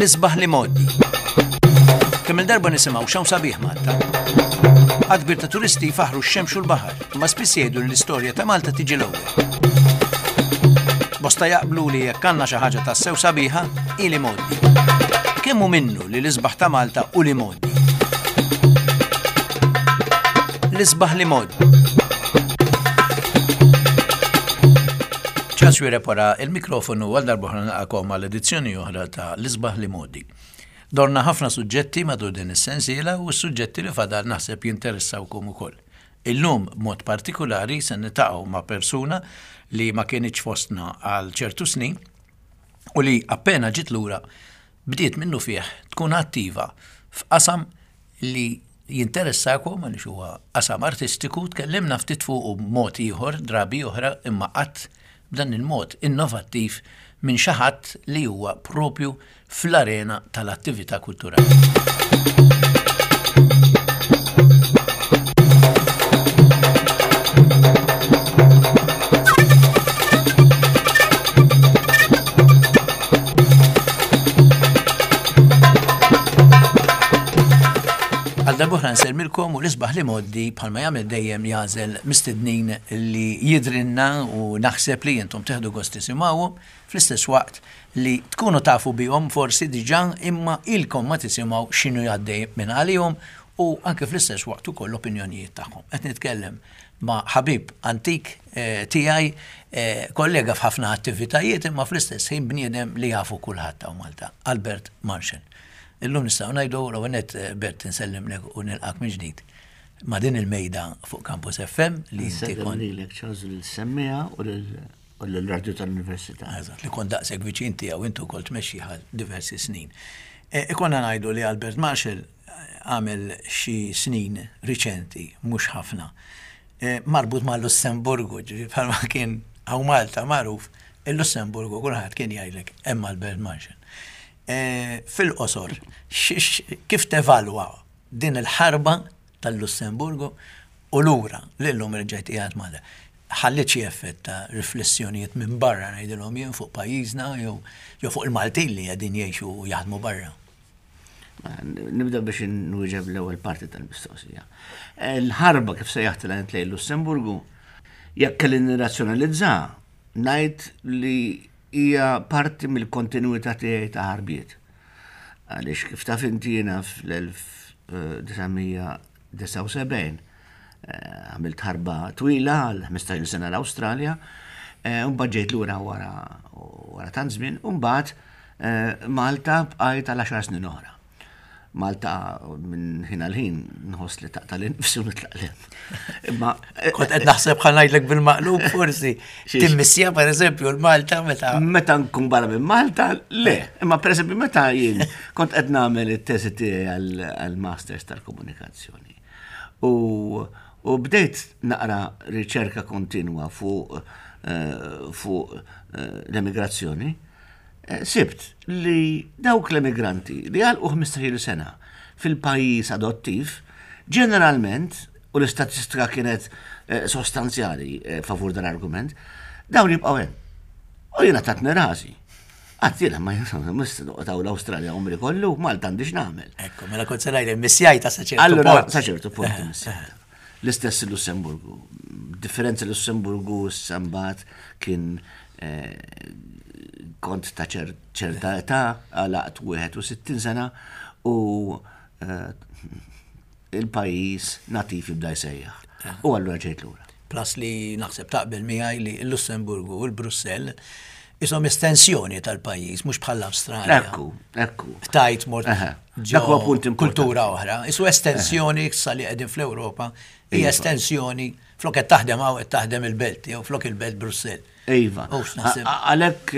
L-isbaħ l-imgħoddi. Kemm il-darba nisimgħu x'hawn sabiħ Malta. Għadd kbir ta' turisti jfaħħru x-xemx u l-baħar, imma spiss jgħidu li l-istorja ta' Malta tiġi l-ewwel. Bosta jaqblu li jekk għandna xi ħaġa tassew sabiħa, hi l-imgħoddi. Kemm hu minnu li l-isbaħ ta' Malta hu l-imgħoddi? L-isbaħ l-imgħoddi. Charles Xuereb wara il-mikrofonu għal darb'oħra nilqakom għal edizzjoni oħra ta' L-Isbaħ l-Imgħoddi. Dorna ħafna suġġetti matul din is-sensiela u s-suġġetti li fadal naħseb jinteressawkom ukoll. Illum b'mod partikulari se niltaqgħu ma' persuna li ma kinitx fostna għal ċertu snin u li appena ġiet lura bdiet minnufih tkun attiva f'qasam li jinteressakom għaliex huwa qasam artistiku, tkellimna ftit fuqu b'mod ieħor drabi oħra imma qatt b'dan il-mod innovattiv minn xi ħadd li huwa propju fl-arena tal-attività kulturali. Għal darbohra nsellmilkom u l-isbaħ li moddi bħalma jagħmel dejjem jagħżel mistednin li jidrinna u naħseb li intom teħdu gost tisimgħuhom fl-istess waqt li tkunu tafu bihom forsi diġà imma ilkom ma tisimgħu x'inhu jgħaddej minn għalihom u anke fl-istess waqt ukoll l-opinjonijiet tagħhom. Qed nitkellem ma' ħabib antik eh, tiegħi, eh, kollega f'ħafna attivitajiet imma fl-istess ħin bniedem li jafu kulħadd hawn Malta, Albert Marshall. Illum nistgħu ngħidu l-ewwel nett eh, Bert insellimlek u nilqak minn ġdid ma' din il-mejda fuq Campus FM li inti kont. Lilek Charles lil-semmija u lill-radju tal-Università. Eżatt, li kont daqshekk viċin tiegħu intu kont tmexxi għal diversi snin. Ikonna ngħidu li Albert Marshall għamel xi snin riċenti, mhux ħafna, marbut ma' Lussemburgu, ġifieri bħalma kien hawn Malta magħruf, il-Lussemburgu kulħadd kien jgħidlek hemm Albert Marshall. Fil-qosor, kif tevalwa din il-ħarba tal-Lussemburgu u lura li llum reġgħet qiegħed Malta? Ħalliet xi effett ta' riflessjonijiet minn barra ngħidilhom jien fuq pajjiżna jew fuq il-Maltin li qegħdin jgħixu u jaħdmu barra? Nibda biex nwieġeb l-ewwel parti tal-mistoqsija. L-ħarba kif sejjaħtilha int lejn Lussemburgu, jekk kelli nirrazzjonalizza, ngħid li hija parti mill-kontinwità tiegħi ta' ħarbiet. Għaliex kif taf inti jiena fl-1979 eh, għamilt ħarba twila għal 15 sena l-Awstralja, eh, u mbagħad ġejt lura wara wara tant żmien, u mbagħad eh, Malta bqajt għal 10 snin oħra. Malta minn ħin għal ħin nħoss li taqta' l-nifsi u nitlaq l Imma kont qed naħseb ħa ngħidlek bil-maqlub forsi. Timmissja pereżempju l-Malta meta. Meta nkun barra minn Malta, le. Imma pereżempju meta jien kont qed nagħmel it-teżi tiegħi għall-Masters tal-Komunikazzjoni. U, u bdejt naqra riċerka kontinwa fuq eh, fuq eh, l-emigrazzjoni, eh, sibt li dawk l-emigranti li għalqu 15 sena fil-pajjiż adottiv, ġeneralment, u l-istatistika kienet sostanzjali favur dan argument, dawn jibqgħu hemm. U jiena tatni rasi. Għad jiena ma mista noqgħod hawn l-Awstralja umri kollu, Malta għandi x'nagħmel. Ekku, mela kont se ngħidlek missjajta sa ċertu Allura, sa ċertu punt missjajta. L-istess il-Lussemburgu. Differenza Lussemburgu sambat kien eh, kont ta' ċerta età, għalaqt 61 sena u eh, il-pajjiż nativ jibda jsejjaħ. U allura ġejt lura. Plus li naħseb taqbel miegħi li l-Lussemburgu u l-Brussell isom estensjoni tal-pajjiż, mhux bħall-Awstralja. Ekku, ekku. Tajt mort ġo kultura oħra. Isu estensjoni sa li qegħdin fl-Ewropa, hija iva. estensjoni flok qed taħdem hawn qed taħdem il-belt jew flok il-belt Brussell. Iva. Għalhekk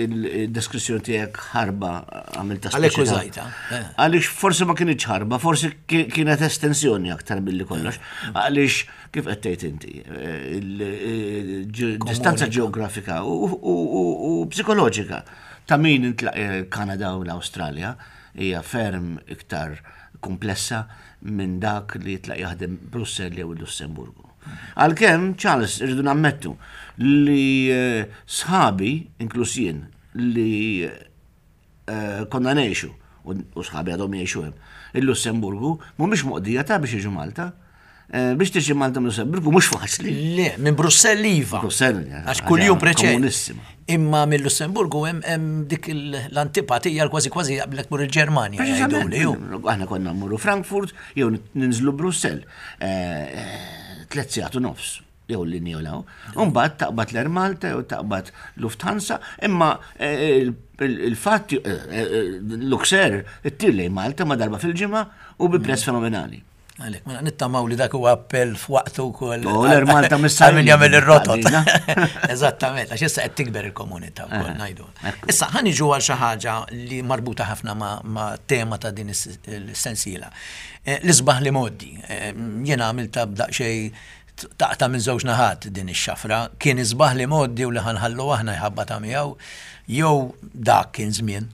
il-deskrizzjoni tiegħek ħarba għamilta Għalhekk użajta. Eh. Għaliex forsi ma kienx ħarba, forsi kienet estensjoni aktar milli kollox. Eh. Għaliex kif qed tgħid inti, eh, distanza ġeografika u psikoloġika ta' min intlaq Kanada u l-Awstralja hija ferm iktar komplessa minn dak li jitlaq jaħdem Brussell jew il-Lussemburgu. Għalkemm, Charles, irridu nammettu li eh, sħabi, inkluż jien, li eh, konna ngħixu u sħabi għadhom jgħixu hemm. Il-Lussemburgu mhumiex moqdija ta' biex jiġu Malta. Eh, biex tiġi Malta minn Lussemburgu mhux faċli. Le, minn Brussell iva. Brussell, għax kuljum preċed. Imma minn Lussemburgu hemm dik l-antipatija kważi kważi jaqblek mur il-Ġermanja. Aħna konna mmorru Frankfurt jew ninżlu Brussell. Eh, eh, tlet sigħat u nofs jew l-linja jew law. Umbagħad taqbad l-Air Malta jew taqbad Lufthansa, imma il-fatt Luxair ittir lejn Malta ma darba fil-ġimgħa u bi prezz fenomenali. Għalek, mela nittamaw li dak huwa appell f'waqtu wkoll. U l Malta missa min jagħmel ir-rotot. Eżattament, għax issa qed tikber il-komunità wkoll eh, ngħidu. Issa ħa niġu għal xi ħaġa li marbuta ħafna ma' tema ta' din is-sensiela. Eh, l-isbaħ li moddi. Eh, jiena għamilta b'daqsxejn taqta' minn żewġ naħat din ix-xafra. Kien isbaħ li moddi u li ħanħallu aħna jħabba ta' miegħu jew dak kien żmien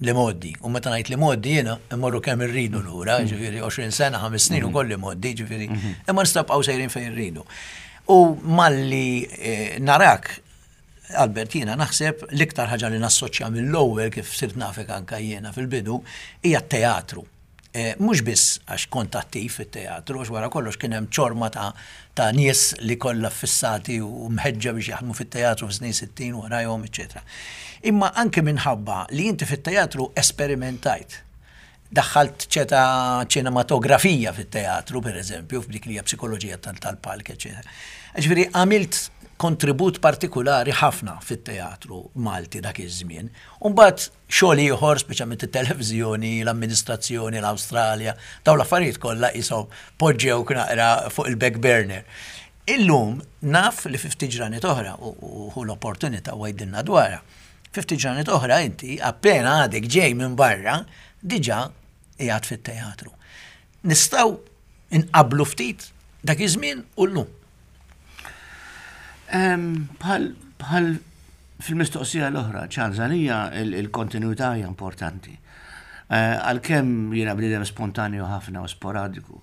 l-imgħoddi. U meta ngħid l-imgħoddi jiena immorru kemm irridu lura, mm. ġifieri 20 sena, 5 snin mm. ukoll l-imgħoddi, ġifieri, mm-hmm. imma nistgħu bqgħu sejrin fejn irridu. U malli eh, narak Albert, jiena naħseb l-iktar ħaġa li nassoċja mill-ewwel kif sirt nafek anka jiena fil-bidu hija t-teatru. Eh, mhux biss għax kont attiv fit-teatru, għax wara kollox kien hemm ċorma ta' ta' nies li kollha ffissati u mħeġġa biex jaħdmu fit-teatru fis-snin 60 warajhom, eċċetera. Imma anke minħabba li inti fit-teatru esperimentajt. Daħħalt ċeta ċinematografija fit-teatru, per eżempju, f'dik li hija psikoloġija tal-palk, eċċetera. Ġifieri għamilt kontribut partikulari ħafna fit-teatru Malti dak iż-żmien. U mbagħad Xogħol ieħor, speċjalment it-televiżjoni, l-amministrazzjoni, l-Awstralja, dawn l-affarijiet kollha qishom poġġewk naqra fuq il-back burner. Illum naf li fi ftit ġranet oħra, u ħu l-opportunità u għidilna dwarha, fi ftit ġranet oħra inti appena għadek ġej minn barra diġà qiegħed fit-teatru. Nistgħu nqabblu ftit dak iż-żmien u llum. Bħal fil-mistoqsija l-oħra, Charles, għalija il-kontinuità hija importanti. Eh, għalkemm jiena bniedem spontanju ħafna u sporadiku,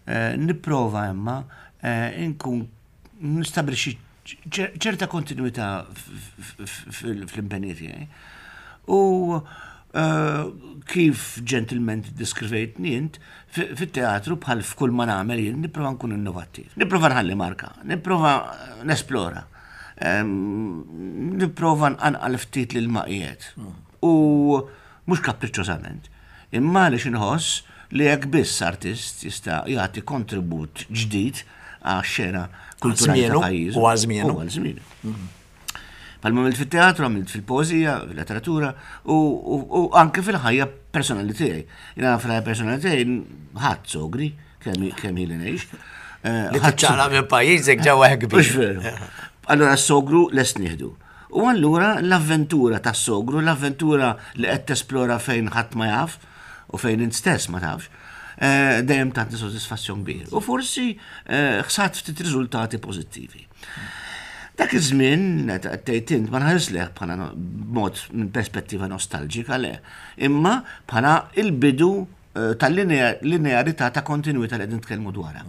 eh, nipprova imma eh, inkun nistabilixxi ċerta kontinuità fl-impenji tiegħi. U eh, kif ġentilment diskrivejtni int, fit-teatru bħal f'kull ma nagħmel jien nipprova nkun innovattiv. Nipprova nħalli marka, nipprova nesplora. Nipprova nqanqal ftit lil maqiet. U mhux kapriċċożament, imma għaliex inħoss li hekk biss artist jista' jagħti kontribut ġdid għax-xena kulturali ta' pajjiżu. U għal żmienu. U għal żmienu. Mhm. Palma għamilt fit-teatru, għamilt fil-poezija, fil-letteratura u anke fil-ħajja personali tiegħi. Jiena fil-ħajja personali tiegħi ħadd sogri kemm ili ngħix. Eh, li tiċċaqla minn pajjiżek ġewwa hekk Mhux veru. Allura s-sogru lest nieħdu. U allura l-avventura tas-sogru, l-avventura li qed tesplora fejn ħadd ma jaf u fejn int stess ma tafx, eh, dejjem tagħti sodisfazzjon kbir. U forsi eh, ħsat ftit riżultati pożittivi. Dak iż-żmien, meta qed tgħid int, ma nħares leh bħala mod minn perspettiva nostalġika le, imma bħala il-bidu eh, tal-linearità ta' kontinuità li qegħdin nitkellmu dwarha.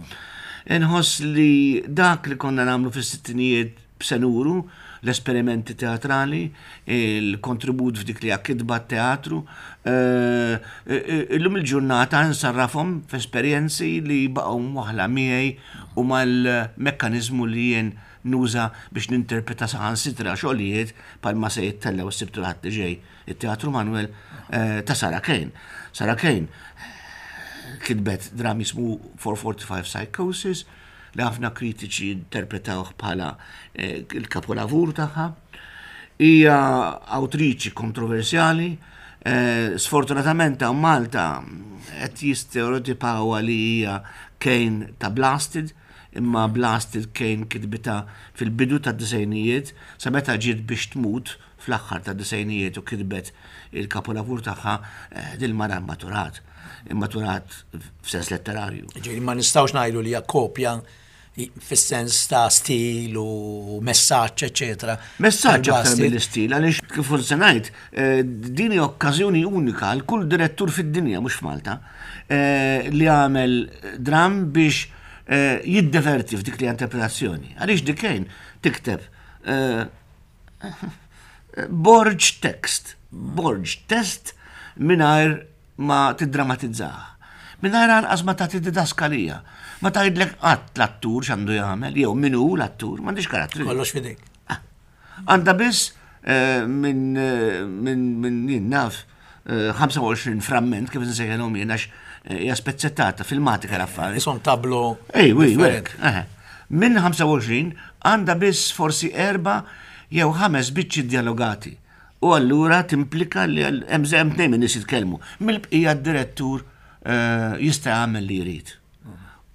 Inħoss li dak li konna nagħmlu fis-sittinijiet b'senuru, l-esperimenti teatrali, il-kontribut f'dik li hija kitba teatru, eh, eh, illum il-ġurnata nsarrafhom f'esperjenzi li baqgħu mwaħla miegħi u mal-mekkaniżmu li jien nuża biex ninterpreta saħansitra xogħlijiet bħalma se jittellgħu s-Sibt u l-Ħadd li ġej it-Teatru Manuel eh, ta' Sarah Kane. Sarah Kane kitbet dram jismu 445 Psychosis li ħafna kritiċi interpretawh bħala eh, il-kapolavur tagħha. Hija awtriċi kontroversjali, eh, sfortunatament hawn Malta qed jistereotipawha li hija Kane ta' Blasted, imma Blasted Kane kitbitha fil-bidu tad-disgħinijiet sa meta ġiet biex tmut fl-aħħar tad-disgħinijiet u kitbet il-kapolavur tagħha eh, dil-mara immaturat. Immaturat f'sens letterarju. Ġifieri ma nistgħux ngħidu li hija kopja fis-sens ta' stil u messaġġ, eċetera. Messaġġ aktar mill-istil, għaliex kif se ngħid, eh, din hi okkażjoni unika għal kull direttur fid-dinja mhux f'Malta eh, li għamel dram biex eh, jiddeverti f'dik li interpretazzjoni. Għaliex dikejn tikteb. Borg text. Borg test mingħajr ma tiddramatizzah. Mingħajr anqas ma tagħti didaskalija. Ma tgħidlek qatt l-attur x'għandu jagħmel, jew min hu l-attur, m'għandix karattri. Kollox f'idejk. Ah. Għandha biss eh, minn eh, minn minn jien naf 25 eh, framment kif nsejħilhom jien għax hija spezzettata filmatika l-affari. Isom tablo. Ej, wi, Minn 25 għandha biss forsi erba' jew ħames biċċi dialogati. U allura timplika li hemm hemm tnejn minn nies jitkellmu. Mill-bqija d-direttur eh, jista' jagħmel li jrid.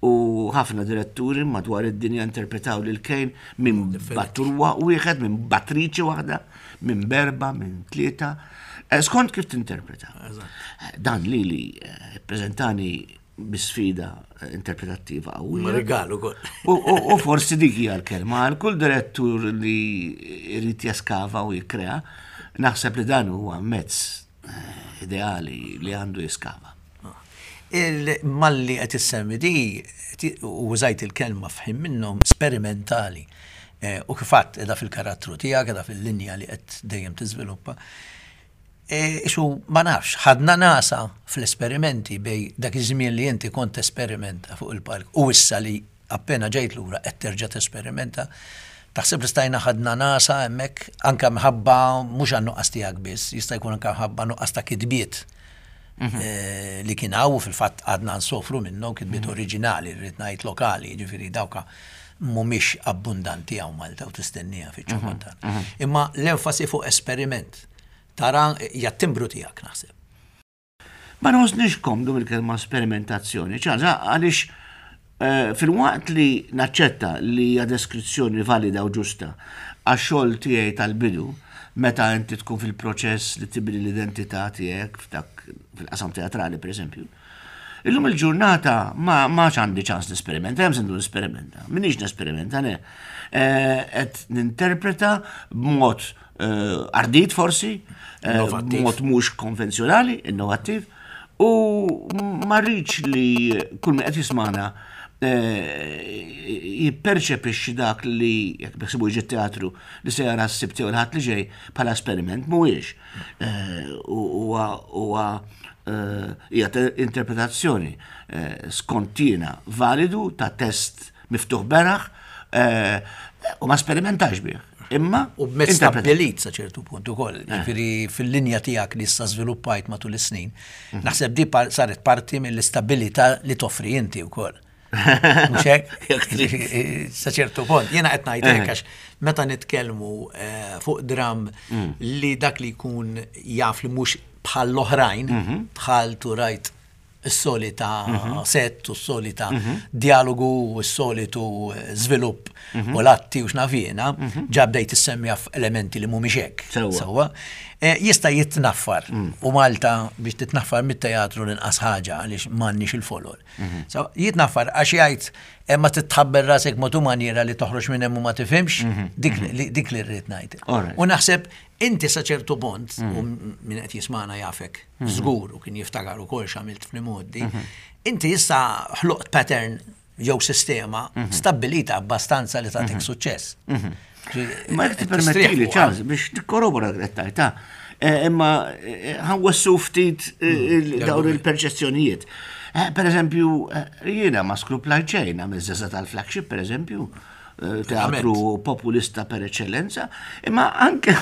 U ħafna diretturi madwar id-dinja interpretaw lil Kane minn battur wieħed, minn battriċi waħda, minn berba, minn tlieta. Eh, skont kif tinterpreta. Dan li li eh, prezentani bi sfida interpretattiva qawwija. Rigal ukoll. U forsi dik hija l-kelma għal kull direttur li jrid jeskava u jikkrea, naħseb li dan huwa mezz eh, ideali li għandu jiskava. Malli qed issemmi di u użajt il-kelma f'ħin minnhom sperimentali. Eh, u kif għedt qiegħda fil-karattru tiegħek, qiegħda fil-linja li qed dejjem tiżviluppa. E, isu ma nafx, ħadna nasa fl-esperimenti bej dak iż-żmien li inti kont tesperimenta fuq il-palk u issa li appena ġejt lura qed terġa' tesperimenta. Taħseb li stajna ħadna nasa hemmhekk anke mħabba mhux għan-nuqqas tiegħek biss, jista' jkun anke mħabba nuqqas ta' kitbiet mhm. eh, li kien hawn u fil-fatt għadna nsofru minnhom kitbiet mhm. oriġinali, rrid ngħid lokali, jiġifieri dawka mhumiex abbundanti hawn Malta u tistennija fiċ-ċokontan. Mhm. Imma l-enfasi fuq esperiment Tara, hija t-timbru tiegħek naħseb. Ma nħossnix komdu mill-kelma sperimentazzjoni, ċaġa għaliex eh, fil-waqt li naċċetta li hija deskrizzjoni valida u ġusta għax-xogħol tiegħi tal-bidu, meta inti tkun fil-proċess li tibni l-identità tiegħek f'dak fil-qasam teatrali pereżempju. Illum il-ġurnata ma ma għandi ċans nesperimenta, hemm sendu nesperimenta. Minix nesperimenta, ne. Eh, qed ninterpreta b'mod Eh, ardit forsi, eh, mod mhux konvenzjonali, innovattiv, u ma rridx li kull min qed jismana eh, jipperċepixxi dak li jekk beħsibu jiġi teatru li se jara s-sibt jew il-ħadd li ġej bħala esperiment mhuwiex. Huwa hija interpretazzjoni skontina validu ta' test miftuħ beraħ u ma sperimentax bih. Imma. U b'mezz stabbilit sa ċertu punt ukoll. Eh. Ġifieri fil-linja tiegħek li issa żviluppajt matul is-snin, mhm. naħseb di saret parti mill-istabilità li toffri inti wkoll. Mhux hekk? Sa ċertu punt. Jiena qed ngħid hekk eh. għax meta nitkellmu eh, fuq dram mm. li dak li jkun jaf li mhux bħal l-oħrajn, mhm. bħal turajt is-solita mhm. set u s-solita mhm. dialogu u s-solitu eh, żvilupp mhm. u l-atti u x'nafjena, ġa bdejt issemmija f'elementi li mhumiex hekk. Sewwa. Eh, jista' jitnaffar mm. u Malta biex titnaffar mit-teatru l-inqas ħaġa għaliex m'għandniex il-folol. Jitnaffar għax jgħid eh, ma titħabber rasek motu maniera li toħroġ minn hemm u ma tifhimx, dik li rrid ngħid. U naħseb inti sa ċertu punt, u min qed jismana jafek, mhm. żgur u kien jiftakar ukoll x'għamilt fl-imgħoddi, mhm. inti issa ħloqt pattern jew sistema mhm. stabbilita abbastanza li tagħtik suċċess. Ma jekk tippermettili ċans biex tikkorrobora l-grettajta, eh, imma eh, ħanwessu ftit eh, mm, dawn il-perċezzjonijiet. Per eżempju, jiena ma skruplajt xejn għamil żeża tal-flagship, per eżempju, teatru populista per eccellenza, imma anke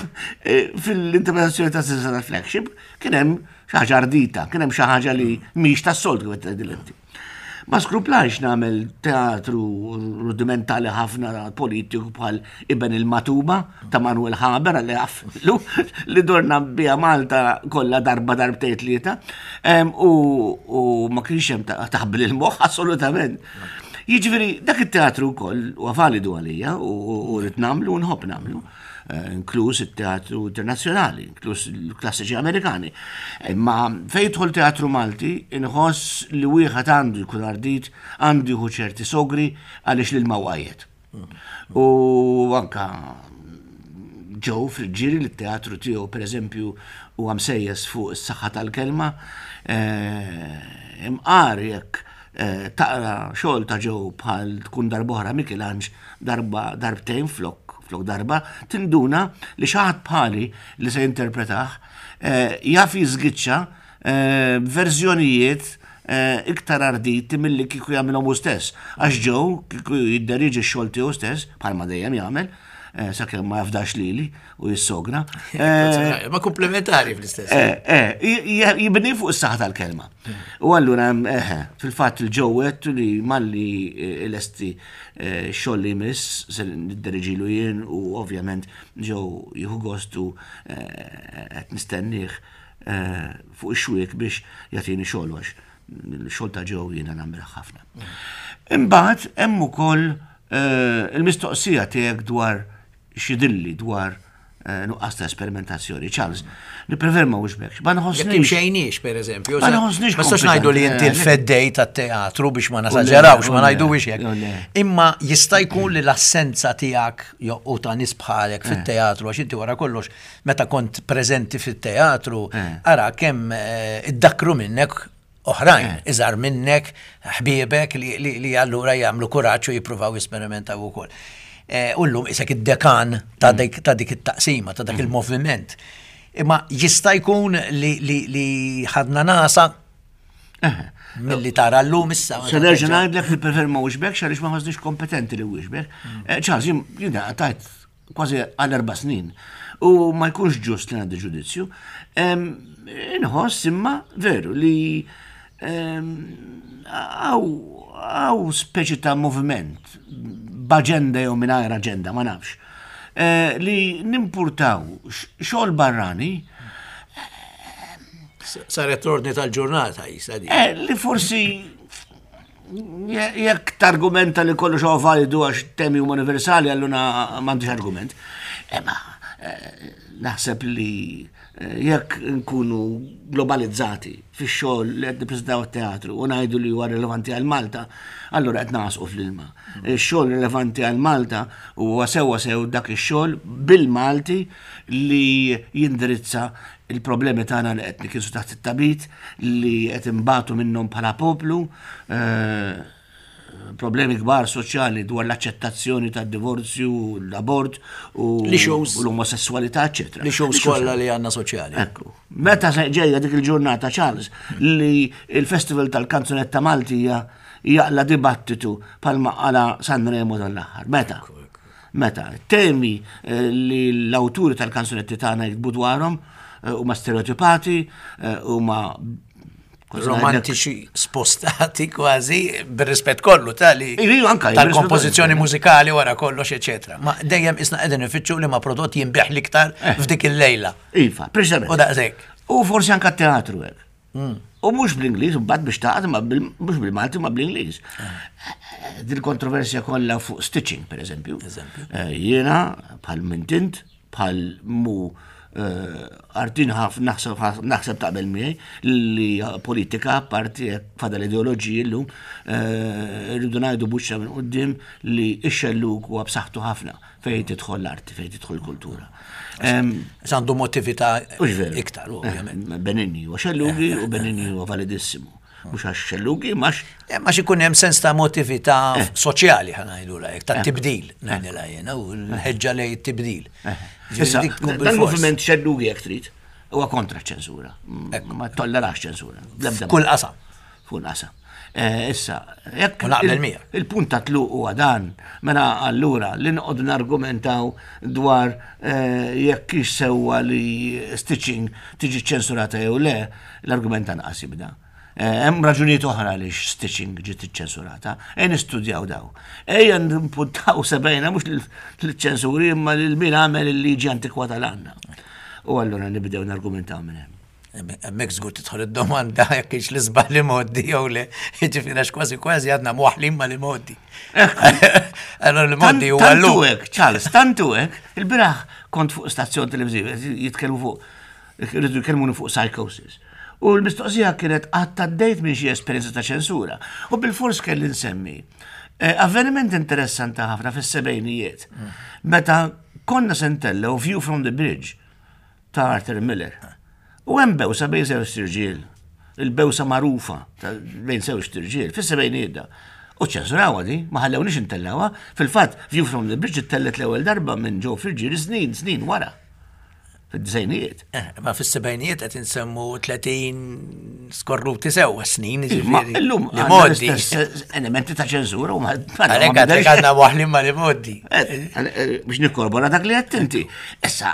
eh, fil-interpretazzjoni ta' Sisa tal-flagship kien hemm xi ħaġa ardita, kien hemm xi ħaġa li mhix tas-soltu kif qed inti. Ma skruplajx nagħmel teatru rudimentali ħafna politiku bħal Iben il-Matuba ta' Manuel Haber għalli għaflu li dorna bija Malta kollha darba darbtejn tlieta u ma kienx hemm taħbil il-moħħ assolutament. Jiġifieri dak it-teatru wkoll huwa validu għalija u rrid nagħmlu u nħobb nagħmlu, eh, inkluż it-teatru internazzjonali, inkluż il-klassiċi Amerikani. Imma fejn jidħol teatru Malti, inħoss li wieħed għandu jkun ardit, għandu jieħu ċerti sogri għaliex l-ilma wajjed. U anka ġew fil-ġiri li t-teatru tiegħu pereżempju huwa msejjes fuq is-saħħa tal-kelma, eh, imqar jekk eh, taqra xogħol ta' ġew bħal tkun darb'oħra Michelangelo darba darbtejn flok. flok darba, tinduna li xi ħadd bħali li se jinterpretah eh, jaf jiżgiċċa eh, verżjonijiet eh, iktar arditi milli kieku jagħmilhom hu stess. Għax Joe kieku jidderiġi x-xogħol tiegħu stess, bħalma dejjem jagħmel, sakemm ma jafdax lili u jissogra. Ma komplementari fl-istess. Jibni fuq is-saħħa tal-kelma. U allura fil-fatt il-ġewwet li malli lesti xogħol li jmiss se nidderiġilu jien u ovvjament Joe jieħu gost u qed nistennih fuq ix-xwiek biex jagħtini xogħol għax il-xogħol ta' Joe jiena nagħmel ħafna. Imbagħad hemm ukoll il-mistoqsija tiegħek dwar xidilli dwar nuqqas ta' esperimentazzjoni. Charles, nipprefer ma wixbekx. Ma nħossniex. Jekk imxejniex, per eżempju. Ma nħossniex. Ma nistax ngħidu li inti l-feddej tat-teatru biex ma nasaġerawx, ma ngħidu biex hekk. Imma jista' jkun li l-assenza tiegħek u ta' nies bħalek fit-teatru, għax inti wara kollox meta kont preżenti fit-teatru, ara kemm iddakru minnek oħrajn, eh. iżgħar minnek, ħbiebek li, li, li allura jagħmlu kuraġġ u jippruvaw jesperimentaw ukoll. Eh, u llum isek id-dekan ta' mm. dik, ta' dik it-taqsima, ta' dak mm. il-moviment. Imma jista' jkun li, li, li ħadna nasa eh. milli tara llum issa. Se nerġa' ngħidlek li prefer ma wixbek għaliex ma ħossniex kompetenti li wixbek. Mm. Charles, jiena tajt kważi għal erba' snin. U ma jkunx ġust li għandi ġudizzju. Inħoss imma veru li għaw speċi ta' moviment b'aġenda jew mingħajr aġenda, ma nafx. Eh, li nimpurtaw xogħol barrani. Saret l-ordni tal-ġurnata jisa di. Eh, li forsi Jekk targumenta li kollox huwa validu għax temi huma universali, allura m'għandix argument. Imma eh, naħseb li eh, jekk nkunu globalizzati fix-xogħol li qed nippreżentaw it-teatru u ngħidu li huwa rilevanti għal Malta, allura qed nagħsqu fl-ilma. Ix-xogħol rilevanti għal Malta huwa sewwa sew dak ix-xogħol bil-Malti li jindirizza il-problemi tagħna li qed nikinsu taħt it-tabit, li qed inbatu minnhom bħala poplu, eh, problemi kbar soċjali dwar l-aċċettazzjoni tad-divorzju, l-abort u l-omosessualità, eċetera. Li shows kollha li għandna soċjali. Ekku. Meta se ġejja dik il-ġurnata Charles li il-Festival tal-Kanzunetta Maltija jaqla dibattitu palma qala Sanremo tal-aħħar. Meta? Meta temi eh, li l-awturi tal-kanzunetti tagħna jiktbu dwarhom eh, huma stereotipati, eh, huma romantiċi spostati kważi bir-rispett kollu tali tal-kompożizzjoni mużikali wara kollox eċetera. Ma dejjem isna qegħdin ifittxu li ma prodott jinbih l-iktar f'dik il-lejla. Iva, preċisament. U daqshekk. U forsi anke teatru hekk. Mm. U mhux bl-Ingliż, mbagħad biex taqgħod ma mhux bil-Malti ma bl-Ingliż. Ah. Din kontroversja kollha fuq stitching, per eżempju. Eh, jiena bħal mintint, bħal mu eh, artin ħaf naħseb taqbel miegħi li politika parti fadal ideoloġiji llum eh, rridu ngħidu buċċa minn quddiem li x-xellug huwa b'saħħtu ħafna fejn tidħol l-arti, fejn tidħol il-kultura. Għandu motività iktar, eh, ovvjament. Benigni huwa xellugi u Benigni huwa validissimu. Mhux għax xellugi, max. Eh, ma ikun hemm sens ta' motività eh. soċjali ħanajdu lajk, ta' tibdil, ngħidilha jiena, u l-ħeġġa lej tibdil. Issa, dan-moviment xellugi jekk trid, huwa kontra ċensura. Ma tollerax ċensura. Kull qasam. Fuq l-qasam. Eh, issa, jekk naqbel miegħek. Il-punt ta' tluq huwa dan, mela allura li noqogħdu nargumentaw dwar eh, jekk hix sewwa li stitching tiġi ċensurata jew le, l-argument anqas jibda. Eh, hemm raġunijiet oħra għaliex stitching ġiet iċċensurata, ejja nistudjaw daw. Ejja npuntaw sebejna mhux lill-ċensuri imma lil min għamel il-liġi antikwata l-għandna. U allura nibdew nargumentaw minn hemm. Hemmhekk żgur tidħol id-domanda jekk kienx l-isbaħ li mgħoddi jew le. Jiġifieri għax kważi kważi għadna mwaħħlin ma' li mgħoddi. Allora li mgħoddi huwa llum. Tantu hekk, Charles, tantu hekk, il-bieraħ kont fuq stazzjon televiżiv jitkellmu fuq irridu jkellmuni fuq psychosis. U l-mistoqsija kienet qatt għaddejt minn xi esperjenza ta' ċensura. U bil-fors kelli nsemmi eh, avveniment interessanti ħafna fis-sebgħinijiet. Meta konna se ntellgħu View from the Bridge ta' Arthur Miller. U hemm bewsa bejn żewġ tirġiel, il-bewsa magħrufa bejn żewġ tirġiel, fis-sebgħinijiet da. U ċensurawha di, ma ħallewniex intellgħuha. Fil-fatt, View from the Bridge ittellgħet l-ewwel darba minn Joe Friggieri snin, snin wara. Fid-disgħinijiet. Eh, ma fis-sebgħinijiet qed insemmu 30 skorruti sewwa snin, Ma jiġifieri. illum Li għandna modi. l-istess elementi ta' ċensura u ma Għalhekk għadek għandna waħlin ma li modi. Eh, eh, biex nikkorbora dak li qed inti. Issa,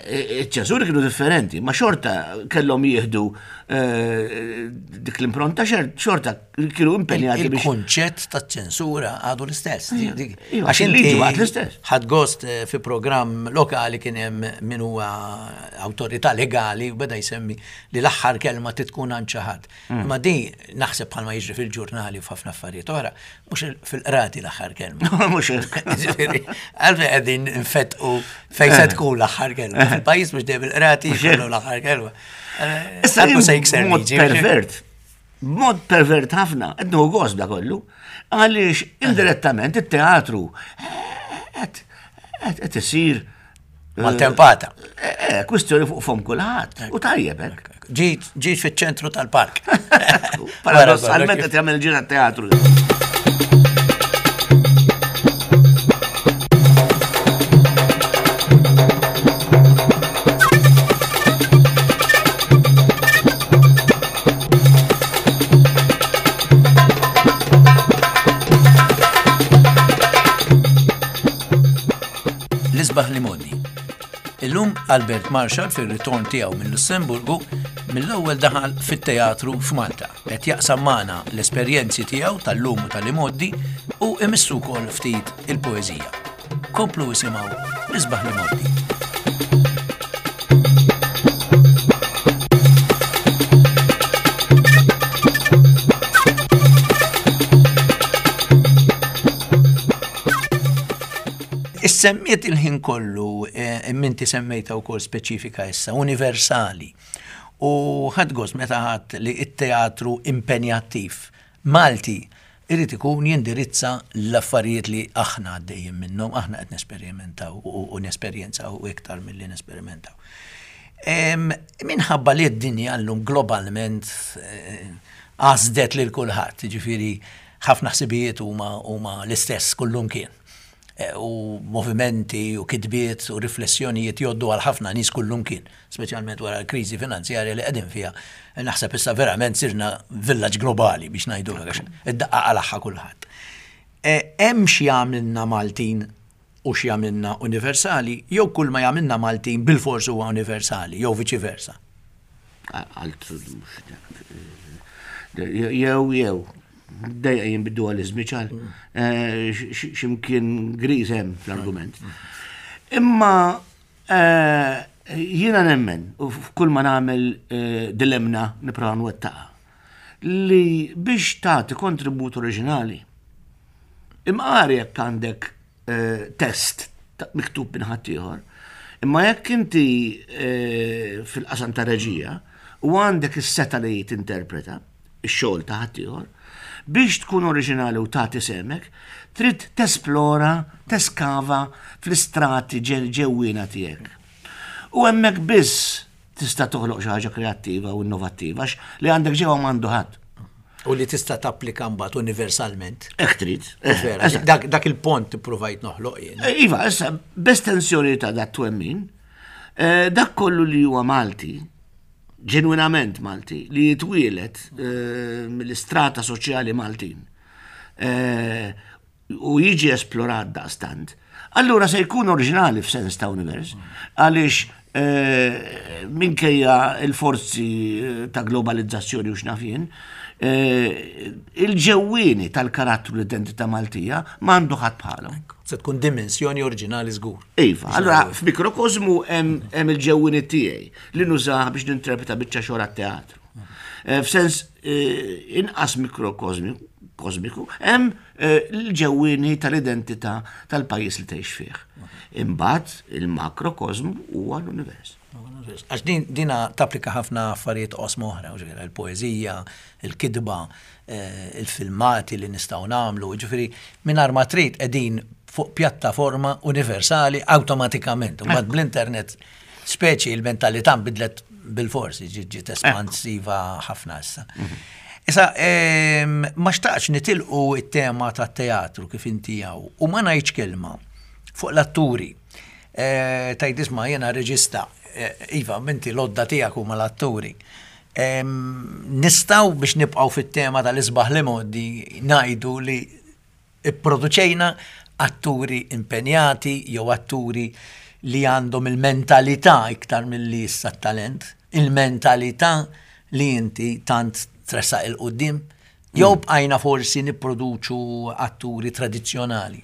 iċ-ċensuri kienu differenti, ma xorta kellhom jieħdu dik l-impronta xorta kienu impenjati biex. Il-kunċett ta' ċensura għadu l-istess. Iva, għax inti għad l-istess. Ħadd gost eh, fi programm lokali kien hemm min huwa awtorità legali u beda jsemmi li l-aħħar kelma titkun għand xi ħadd. Mm. Imma di naħseb bħalma jiġri fil-ġurnali u f'ħafna affarijiet oħra, mhux fil-qrati l-aħħar kelma. Mhux hekk. Għalfejn qegħdin nfettqu fejn se eh. tkun l-aħħar kelma. Eh. Fil-pajjiż mhux dejjem il-qrati jkollu l-aħħar kelma. Issa se jikser Mod pervert. Mod pervert ħafna, qed nieħu gost da kollu, għaliex indirettament it-teatru qed isir eh, Maltempata. Eh, eh, kwistjoni fuq fom kulħadd. U tajjeb hekk. Ġiet fiċ-ċentru tal-park. Paradossalment qed jagħmel ġira teatru. L-isbaħ li modi. Illum Albert Marshall fir-ritorn tiegħu minn Lussemburgu mill-ewwel daħal fit-teatru f'Malta. Qed jaqsam magħna l-esperjenzi tiegħu tal-lum u tal-imgħoddi u imissu wkoll ftit il-poeżija. Komplu isimgħu l-isbaħ li mgħoddi. Issemmiet il-ħin kollu, eh, imminti semmejta wkoll speċifika issa, universali. U ħadd gost meta ħadd li t-teatru impenjattiv Malti irid ikun jindirizza l-affarijiet li aħna għaddejjin minnhom, aħna qed nesperimentaw u nesperjenzaw iktar milli nesperimentaw. Minħabba li d-dinja llum globalment eh, għasdet lil kulħadd, jiġifieri ħafna ħsibijiet huma l-istess kullumkien. Eh, u movimenti u kitbiet u riflessjonijiet jgħoddu għal ħafna nies kullumkien, speċjalment wara l-kriżi finanzjarja li qegħdin fiha. Naħseb issa verament sirna villaġġ globali biex ngħidu għax id-daqqa qalagħha kulħadd. Eh, hemm xi jagħmilna Maltin u xi jagħmilna universali, jew kull ma jagħmilna Maltin bilfors huwa universali, jew viċi versa. Jew, jew, dejja jien bid-dualizmi ċar, eh, ximkien griż hemm fl-argument. Imma eh, jiena nemmen, u f'kull ma nagħmel eh, dilemna nipprova nwettaqa, li biex tagħti kontribut oriġinali, imqar jekk għandek test miktub minn ħaddieħor. Imma jekk inti eh, fil-qasam ta' reġija u għandek is-seta li tinterpreta x-xogħol ta' ħaddieħor, biex tkun oriġinali u tagħti semek, trid tesplora, teskava fl-istrati ġewwiena tiegħek. U hemmhekk biss tista' toħloq xi ħaġa kreattiva u innovattiva għax li għandek ġewwa m'għandu ħadd. U li tista' tapplika mbagħad universalment. Hekk trid. Eh, dak, dak il-pont ippruvajt noħloq jien. Eh, iva, issa b'estensjoni ta' dat twemmin, eh, dak kollu li huwa Malti, ġenwinament Malti, li jitwielet mill-istrata soċjali Maltin u jiġi esplorat daqstant, allura se jkun oriġinali f'sens ta' univers, għaliex eh, minkejja il-forzi eh, ta' globalizzazzjoni u x'naf jien, eh, il-ġewwieni tal-karattru l-identità Maltija m'għandu ħadd bħalhom. Se tkun dimensjoni oriġinali żgur. Iva, allura f'mikrokosmu hemm il-ġewwieni tiegħi li nużah biex ninterpreta biċċa xogħol għat-teatru. F'sens inqas mikrokosmiku hemm eh, l-ġewwieni tal-identità tal-pajjiż li tgħix fih. Imbagħad il-makrokosmu huwa l-univers. Għax din dina tapplika ħafna affarijiet qosma oħra, il-poeżija, il-kitba, eh, il-filmati li nistgħu nagħmlu, ġifieri mingħajr ma trid qegħdin fuq pjattaforma universali awtomatikament. Mbagħad bl-internet speċi il-mentalità nbidlet bil-forsi, ġiet espansiva ħafna issa. Mhm. Issa, ma xtaqx nitilqu it-tema tat-teatru kif inti hawn u ma ngħidx kelma fuq l-atturi. Eh, Tajt isma' jiena reġista, eh, iva, minti l-odda tiegħek huma l-atturi. Nistgħu biex nibqgħu fit-tema tal-isbaħ li modi ngħidu li Ipproduċejna atturi impenjati jew atturi li għandhom il-mentalità iktar milli issa t-talent, il-mentalità li inti tant tressaq 'il quddiem? Jew bqajna forsi nipproduċu atturi tradizzjonali?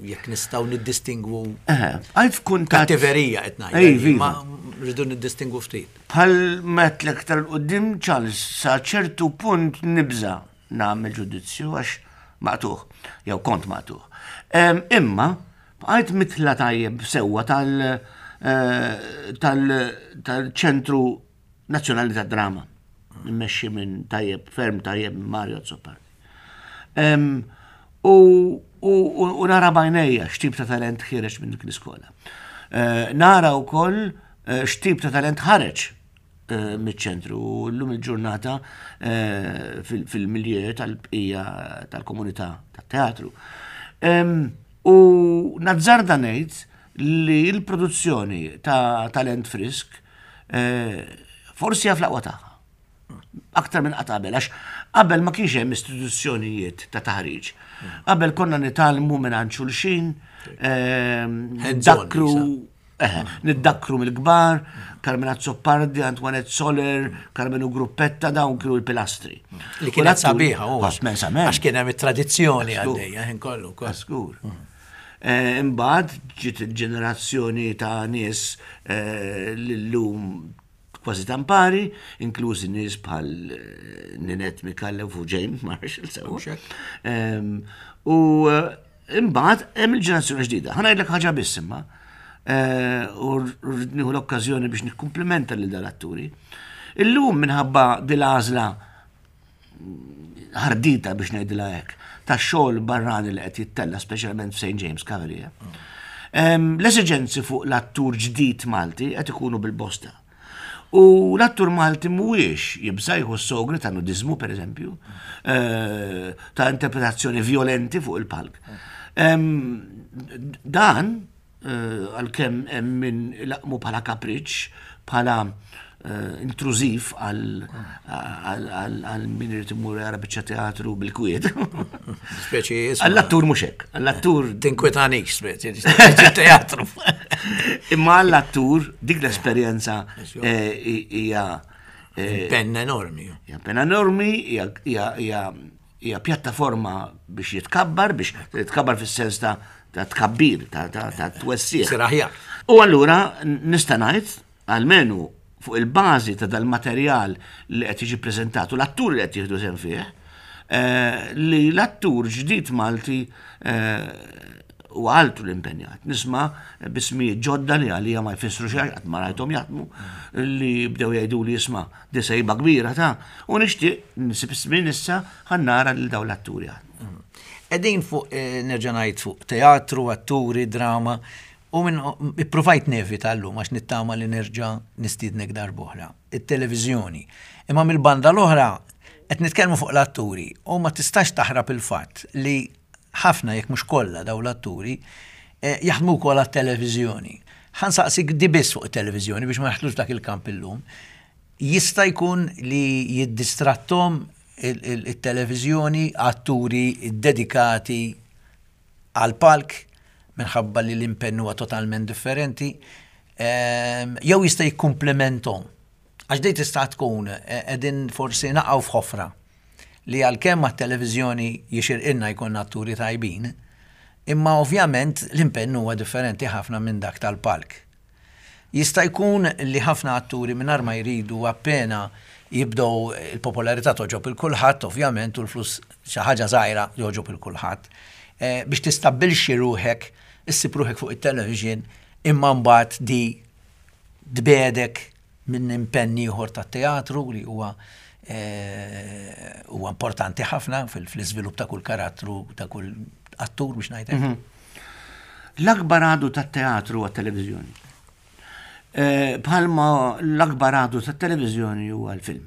Jekk nistgħu niddistingwu. Għajt f'kuntatt. Kattiverija qed ngħid. Ma rridu niddistingwu ftit. Bħal m'għedtlek iktar 'il quddiem, Charles, sa ċertu punt nibża' nagħmel ġudizzju għax maqtugħ, jew kont maqtugħ. Imma bqajt mitla tajjeb sewwa tal-Ċentru Nazzjonali tad-Drama, immexxi minn tajjeb ferm tajjeb minn Mario Azzopardi. U nara bajnejja x'tip ta' talent ħireġ minn dik l-iskola. Nara wkoll x'tip ta' talent ħareġ miċ-ċentru u llum il-ġurnata fil-milieu tal-bqija tal-komunità tat-teatru. U nazzarda ngħid li l-produzzjoni ta' talent frisk forsi hija fl-aqwa tagħha. Aktar minn qatt qabel, għax qabel ma kienx hemm istituzzjonijiet ta' taħriġ. Qabel konna nitgħallmu minn xulxin, dakru Niddakkru mill-kbar, Carmen Azzopardi, Antoinette Soler, Carmenu Gruppetta, dawn kienu l-pilastri. Li kienet sabiħa, u. Immensament. Għax kien hemm it-tradizzjoni għaddejja, ħin kollu. Skur. Imbagħad ġiet il-ġenerazzjoni ta' nies li llum kważi tampari, inklużi nies bħal Ninette Micallef u James Marshall sew. U imbagħad hemm il-ġenerazzjoni ġdida. Ħa ngħidlek ħaġa biss imma. U rrid nieħu l-okkażjoni biex nikkumplimenta lil dal-atturi. Illum minħabba dil-għażla ħardita biex ngħidilha hekk, ta' xogħol barrani li qed jittella speċjalment f'St. James Cavalier. L-esiġenzi fuq l-attur ġdid Malti qed ikunu bil-bosta. U l-attur Malti mhuwiex jibża' jieħu s-sogri ta' nudiżmu pereżempju, eh, ta' interpretazzjoni violenti fuq il-palk. Dan għalkemm hemm min laqmu bħala kapriċċ, bħala eh, intrużiv għal min irid imur jara biċċa teatru bil-kwiet. Speċi Għall-attur mhux hekk, għall-attur. Tinkwetanik speċi teatru. Imma għall-attur dik l-esperjenza eh, hija eh, penna enormi. Hija penna enormi, hija Hija pjattaforma biex jitkabbar, biex jitkabbar fis-sens ta' ta' tkabbir, ta' ta' ta' twessiegħ. Sir aħjar. U allura nista' ngħid, almenu fuq il-bażi ta' dal-materjal li qed jiġi ppreżentat u l-atturi li qed jieħdu sehem fih, eh, li l-attur ġdid Malti eh, huwa altru l-impenjat. Nisma' bismijiet ġodda li għalija ma jfissru xejn qatt ma rajthom jaħdmu li bdew jgħidu li jisma' Di sejba kbira ta' u nixtieq nsib żmien issa ħa nara lil dawn l-atturi jaħdmu. Qegħdin fuq eh, nerġa' ngħid fuq teatru, atturi, drama u minn ippruvajt nevita llum għax nittama li nerġa' nistiednek darb'oħra. It-televiżjoni. Imma mill-banda l-oħra qed nitkellmu fuq l-atturi u ma tistax taħrab il-fatt li ħafna jekk mhux kollha dawn l-atturi eh, jaħdmu wkoll għat-televiżjoni. Ħa nsaqsik di biss fuq it-televiżjoni biex ma naħtlux dak il-kamp illum. Jista' jkun li jiddistrattom it-televiżjoni atturi dedikati għal palk minħabba li l-impenn huwa totalment differenti, ehm, jew jista' jikkumplementhom. Għax di tista' tkun eh, qegħdin forsi naqgħu f'ħofra li għalkemm għat-televiżjoni jixirqilna jkollna atturi tajbin, imma ovvjament l-impenn huwa differenti ħafna minn dak tal-palk. Jista' jkun li ħafna atturi mingħajr ma jridu appena jibdew il-popolarità togħġob il kulħadd ovvjament u l-flus xi ħaġa żgħira jogħġob il kulħadd. Eh, biex tistabbilxxi ruħek, issib ruħek fuq it-television imma mbagħad di tbiegħdek minn impenn ieħor tat-teatru li huwa eh, huwa importanti ħafna fl-iżvilupp ta' kull karattru, ta' kull attur biex ngħidlek. Mhm. L-akbar għadu tat-teatru għat-televiżjoni. Eh, bħalma l-akbar għadu tat-televiżjoni huwa l-film.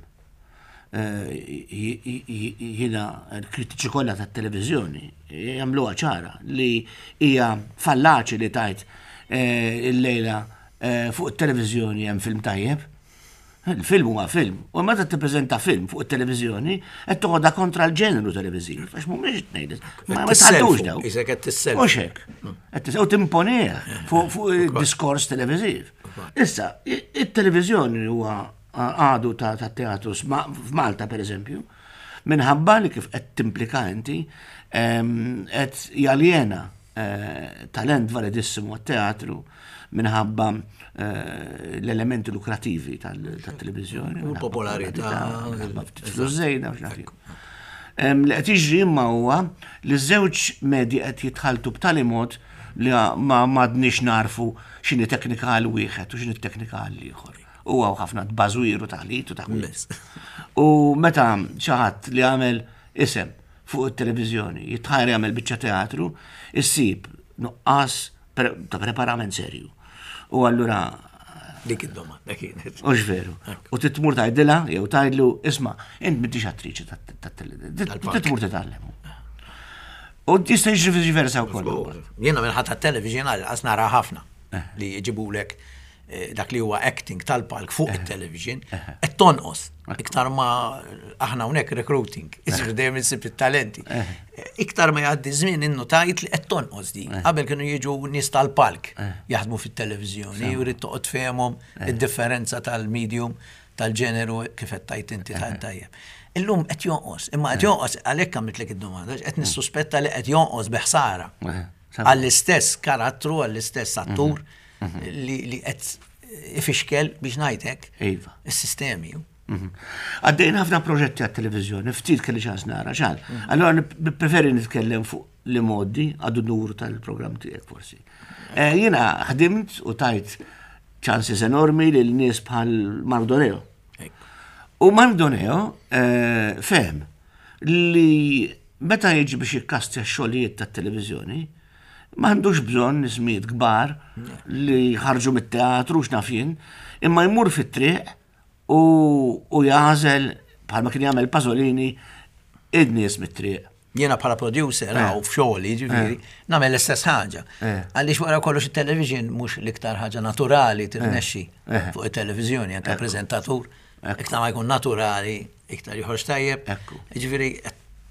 Jiena l-kritiċi kollha tat-televiżjoni jagħmluha ċara li hija fallaċi li tgħid illejla fuq it-televiżjoni hemm film tajjeb. Il-film huwa film. U meta tippreżenta film fuq it-televiżjoni qed toħodha kontra l-ġeneru televiżiv, għax mhumiex tnejn. Ma tħaddux daw. Isek qed tissellfu. Mhux hekk. Qed u timponih fuq id-diskors televiżiv. Issa, it-televiżjoni huwa għadu ta' teatru f'Malta per eżempju, minħabba li kif qed timplika inti qed jaljena eh, talent validissimu għat-teatru minħabba eh, l-elementi lukrativi tal-televizjoni. U popolarità. Flus żejda, Li qed jiġri imma huwa li żewġ medji qed jitħaltu b'tali mod li ma m'għadniex narfu x'inhi teknika għal wieħed u x'inhi teknika għal ieħor. U hawn ħafna tbażwir u taħlit u taħwit. U meta xi ħadd li għamel isem fuq it-televiżjoni jitħajr jagħmel biċċa teatru, issib nuqqas ta' preparament serju. U allura Dik id-domanda kienet. Ux veru. U titmur tgħidilha jew tgħidlu isma' int m'intix attriċi tat-televiżjoni. Titmur titgħallem. U jista' jiġri viċi versa wkoll. Jiena minħabba tat-television għal nara ħafna eh. li jġibulek eh, dak li huwa acting tal-palk fuq eh. it-television qed tonqos iktar ma aħna hawnhekk recruiting, iġifieri dejjem insib it-talenti. Iktar ma jgħaddi żmien innu tajt li qed tonqos di. Qabel kienu jiġu nies tal-palk jaħdmu fit-televiżjoni u rrid toqgħod fehmhom id-differenza tal-medium tal-ġeneru kif qed tgħid inti ta' tajjeb. Illum qed jonqos, imma qed jonqos għalhekk għamiltlek id-domanda, qed nissuspetta li qed jonqos bi ħsara għall-istess karattru, għall-istess attur mhm. li qed ifixkel biex ngħidlek iva. is-sistemi. Mhm. Għaddejn ħafna proġetti għat-televizjoni, ftit kelli ċans nara, ċan. Mhm. Allora nippreferi nitkellem fuq li moddi għadu nur tal-programm tiegħek forsi. Eh, jiena ħdimt u tajt chances enormi lil nies bħal Mardoneo. U Mardoneo eh, fehem li meta jiġi biex jikkastja x-xogħlijiet tat-televiżjoni, m'għandux bżonn ismijiet kbar li ħarġu mit-teatru x'naf jien, imma jmur fit-triq u, u jagħżel bħalma kien jagħmel Pasolini id-nies mit-triq. Jiena bħala producer eh. u f'xogħli ġifieri eh. nagħmel l-istess ħaġa. Eh. Għaliex wara kollox it-television mhux l-iktar ħaġa naturali tirnexxi fuq it-televiżjoni anke preżentatur. Iktar ma jkun naturali, iktar joħroġ tajjeb. Ġifieri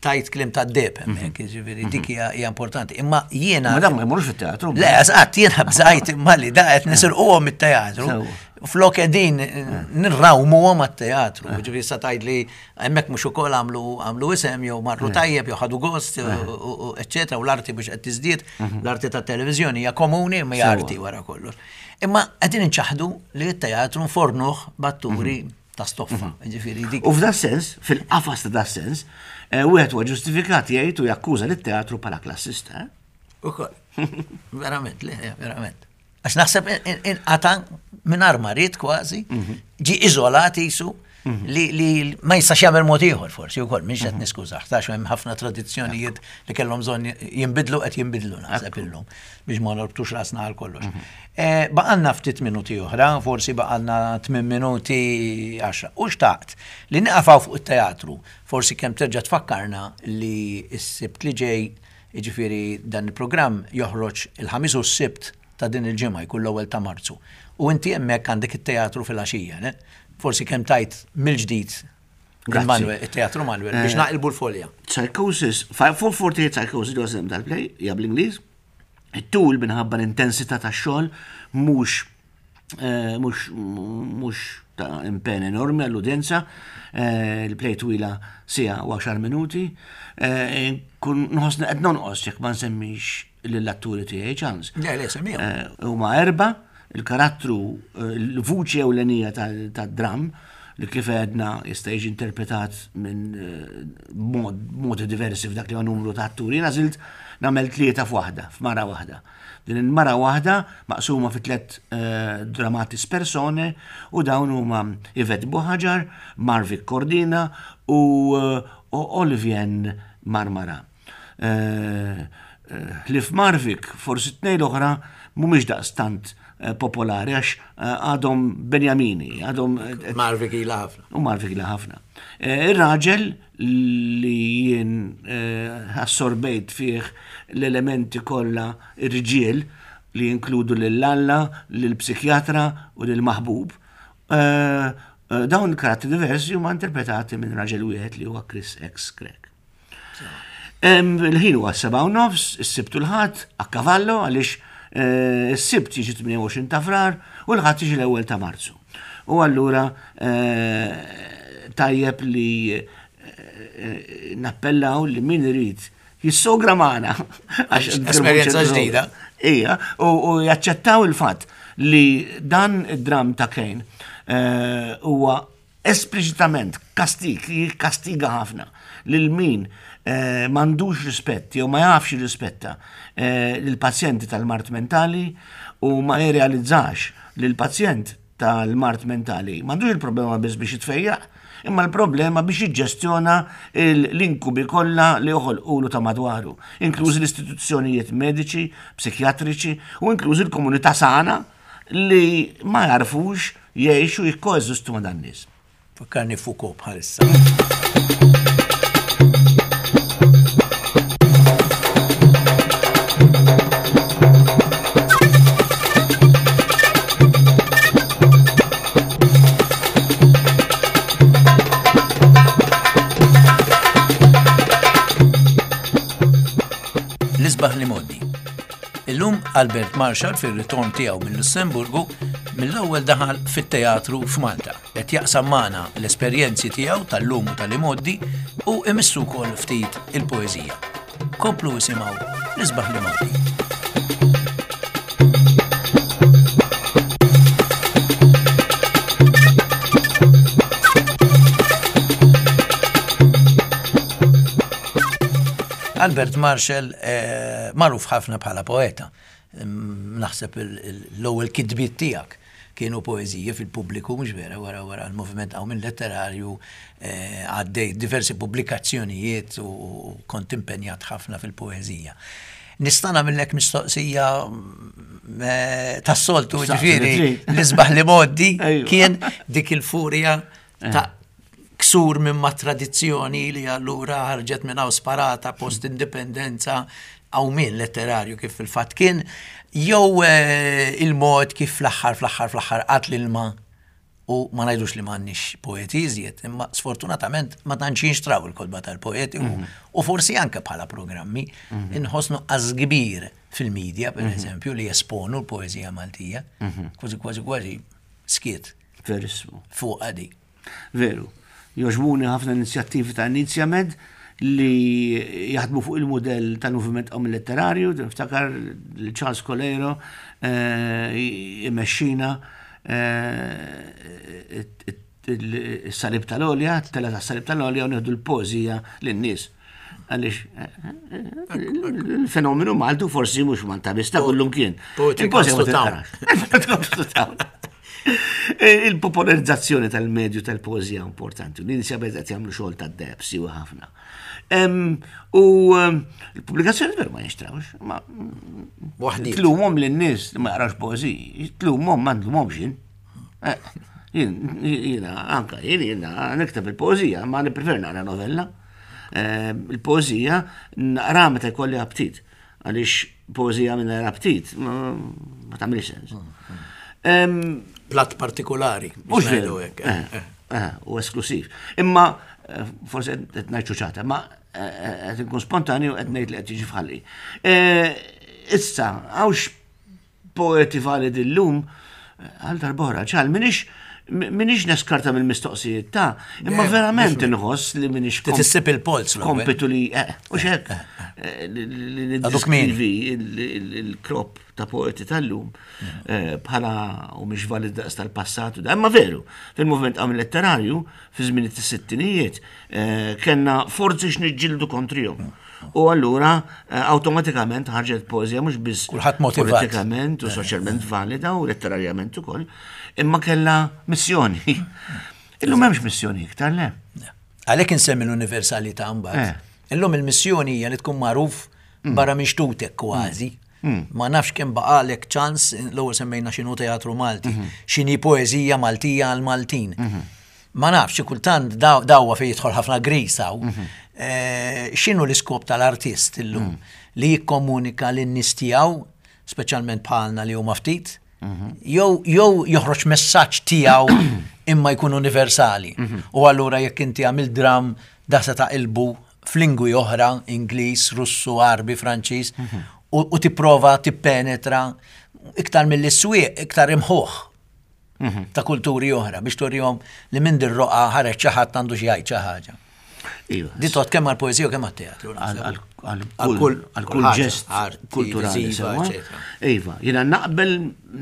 tajt klim ta' deb hemmhekk, mhm. ġifieri dik mhm. hija importanti. Imma jiena. Ma dan ma jmurx fit-teatru. Le, eżatt, jiena bżajt imma li da qed nisirquhom mit-teatru. Flok qegħdin nirrawmuhom għat-teatru. Ġifieri sa tgħid li Hemmhekk mhux ukoll għamlu għamlu isem jew marru eh. tajjeb jew ħadu gost, eh. eċċetera, u l-arti biex qed tiżdied, mhm. l-arti tat-televiżjoni hija komuni imma hija arti wara kollox. Imma qegħdin inċaħdu li t-teatru nfornuh b'atturi mhm. ta' stoffa, mhm. ġifieri dik. U f'da sens, fil-qafas ta' da sens, eh, wieħed huwa ġustifikat jgħid u jakkuża lit-teatru bħala klassista. Ukoll. Verament, le, verament. Għax naħseb inqata minn ma ried kważi, mhm. ġi iżolat jisu mhm. li ma jistax jagħmel mod ieħor forsi wkoll mhix qed mhm. niskużah, tax hemm ħafna tradizzjonijiet li kellhom bżonn jinbidlu qed jinbidlu naħseb illum biex ma norbtux rasna għal kollox. Eh, baqalna ftit minuti oħra, forsi baqalna 8 minuti 10. U xtaqt li niqafaw fuq it-teatru, forsi kemm terġa' tfakkarna li s-sibt li ġej Jiġifieri dan il-programm joħroġ il-Ħamis u s-Sibt ta' din il-ġimgħa, jkun l-ewwel ta' Marzu. U inti hemmhekk għandek it-teatru filgħaxija, le? Forsi kemm tgħid mill-ġdid il-Manuel, it-Teatru Manuel biex naqilbu l-folja. Psychosis, 448 Psychosis huwa isem tal-play, hija bl-Ingliż. It-tul minħabba l-intensità tax-xogħol mhux eh, mhux mhux ta' impenn enormi għall-udjenza, eh, il-play twila siegħa u għaxar minuti, eh, kun nħossni qed nonqos jekk ma nsemmix lill-atturi tiegħi ċans. Le, le, semmihom. Huma erba, il-karattru, il-vuċi ewlenija tad-dram, li kif għedna jista' jiġi interpretat minn modi diversi f'dak li huwa numru ta' atturi. Jiena għażilt nagħmel tlieta f'waħda, f'mara waħda. Din il-mara waħda maqsuma fi tlett dramatis persone u dawn huma Yvette Buhagiar, Marvic Cordina u Olivien Marmara. Ħlief Marvic, forsi t-tnejn l-oħra mhumiex daqstant popolari għax għadhom Benjamini, għadhom. Marvic ilha ħafna. U Marvic ilha ħafna. Eh, ir-raġel li jien eh, assorbejt fih l-elementi kollha irġiel li jinkludu lil Alla, lill-psikjatra u lill-maħbub. Eh, dawn il-karattri diversi huma interpretati minn raġel wieħed li huwa Chris X. Craig. Il-ħin huwa 7:30, is-Sibt u l-Ħadd, a cavallo għaliex eh, is-Sibt jiġi 28 ta' Frar u l-Ħadd jiġi l-ewwel ta' Marzu. U allura eh, tajjeb li eh, nappellaw li min irid jissogra magħna. Għax esperjenza ġdida. Ija, u jaċċettaw il-fatt li dan id-dram ta' Kane huwa espliċitament kastig, jikkastiga ħafna lil min eh, m'għandux rispett jew ma jafx jirrispetta eh, lill-pazjenti tal-mard mentali u ma jirrealizzax li l-pazjent tal-mard mentali m'għandux il-problema biss biex jitfejjaq, imma l-problema biex jiġġestjona l-inkubi kollha li joħolqulu ta' madwaru, inklużi l-istituzzjonijiet mediċi, psikjatriċi u inklużi l-komunità sana li ma jarfux jgħixu jikkoeżistu ma' dan nies. Fakkarni Foucault bħalissa. L-isbaħ li moddi. Illum Albert Marshall fir-ritorn tiegħu minn Lussemburgu mill-ewwel daħal fit-teatru f'Malta. Qed jaqsam magħna l-esperjenzi tiegħu tal-lum u tal-imgħoddi u imissu wkoll ftit il-poeżija. Komplu isimgħu l-isbaħ li mgħoddi. Albert Marshall eh, magħruf ħafna bħala poeta. Naħseb l-ewwel kitbiet tiegħek kienu poeżiji fil-pubbliku, mhux vera, wara wara l-moviment hawn minn letterarju eh, għaddej diversi pubblikazzjonijiet u kont impenjat ħafna fil-poeżija. Nista' nagħmellek mistoqsija eh, tas-soltu, ġifieri l-isbaħ li moddi kien dik il-furja eh. ta' ksur minn ma' tradizzjoni li allura ħarġet minn hawn sparata post indipendenza qawmien letterarju kif fil-fatt kien, jew eh, il-mod kif fl-aħħar fl-aħħar fl-aħħar qatt l-ilma u ma ngħidux li m'għandniex poeti iżjed, imma sfortunatament ma tantx jinxtraw il-kotba tal-poeti u mhm. forsi anke bħala programmi mhm. inħoss nuqqas kbir fil-medja, per mhm. eżempju, li jesponu l-poeżija Maltija, kważi kważi kważi skiet. Verissmu. Fuq għadi. Veru. Jogħġbuni ħafna inizjattivi ta' Inizjamed li jaħdmu fuq il-mudell tal-moviment qawmi letterarju, niftakar li Charles Coleiro eh, imexxina eh, is-salib tal-olja, tela tas-salib tal-olja u nieħdu l-poeżija lin-nies. Għaliex eh, il-fenomenu Maltu forsi mhux Malta biss ta' kullum kien. Il-poeżija ma tinqarax. Il-popolarizzazzjoni tal-medju tal-poeżija importanti. L-inizja qed jagħmlu xogħol tad-deb siwa ħafna. U l-pubblikazzjoni veru ma jinxtrawx. Ma tlumhom lin-nies li ma jaqrawx poeżiji, tlumhom ma nlumhomx jien. Eh, jiena anka jien jiena nikteb il-poeżija, ma nipprefer naqra novella. Il-poeżija naqra meta jkolli aptit. Għaliex poeżija mingħajr aptit ma tagħmilx sens. Platt partikolari. Mhux veru hekk. Eh, eh, eh, u esklusiv. Imma forsi qed ngħid ċuċata, ma qed inkun spontanju qed ngħid li qed jiġi f'ħalli. Issa, għawx poeti validi llum għal darb'oħra, ċal, minix minix neskarta mill-mistoqsijiet ta' imma verament inħoss li minix. Tissib il-polz. Kompitu li, eh, u xek, eh, li niddeskrivi il-krop ta' poeti tal-lum eh, bħala u mhix valid daqs tal-passat, imma veru, fil-movement għam letterarju, fi żmien it-sittinijiet, kellna forzi x'niġġieldu kontrihom. U allura eh, awtomatikament ħarġet poeżija mhux biss Kulħadd motivat. politikament u eh, soċjalment eh. valida u letterarjament ukoll, imma kellha missjoni. Illum m'hemmx missjoni iktar le. Għalhekk insemmi l-universalità mbagħad. Illum il-missjoni hija li tkun magħruf mm. barra minn xtutek kważi. Mm. Ma nafx kemm baqalek ċans, l-ewwel semmejna x'inhu teatru Malti, mhm. x'inhi poeżija Maltija għal Maltin. Mhm. Ma nafx, xi kultant dawwa fejn jidħol ħafna gris hawn. Mhm. Eh, x'inhu l-iskop tal-artist illum? Mm. Li jikkomunika lin-nies tiegħu, speċjalment bħalna li huma ftit, mhm. jew joħroġ messaġġ tiegħu imma jkun universali. Mhm. U allura jekk inti għamil dram da se taqilbu f'lingwi oħra, Ingliż, Russu, Għarbi, Franċiż, u tipprova tippenetra iktar mill-swieq, iktar imħuħ mhm. ta' kulturi oħra biex turihom li minn dir-roqa ħareġ xi ħadd għandu xi jgħid xi ħaġa. Iva. Di tot kemm għal-poezija u kemm għat-teatru. Għal kull ġest kulturali. Iva, jiena naqbel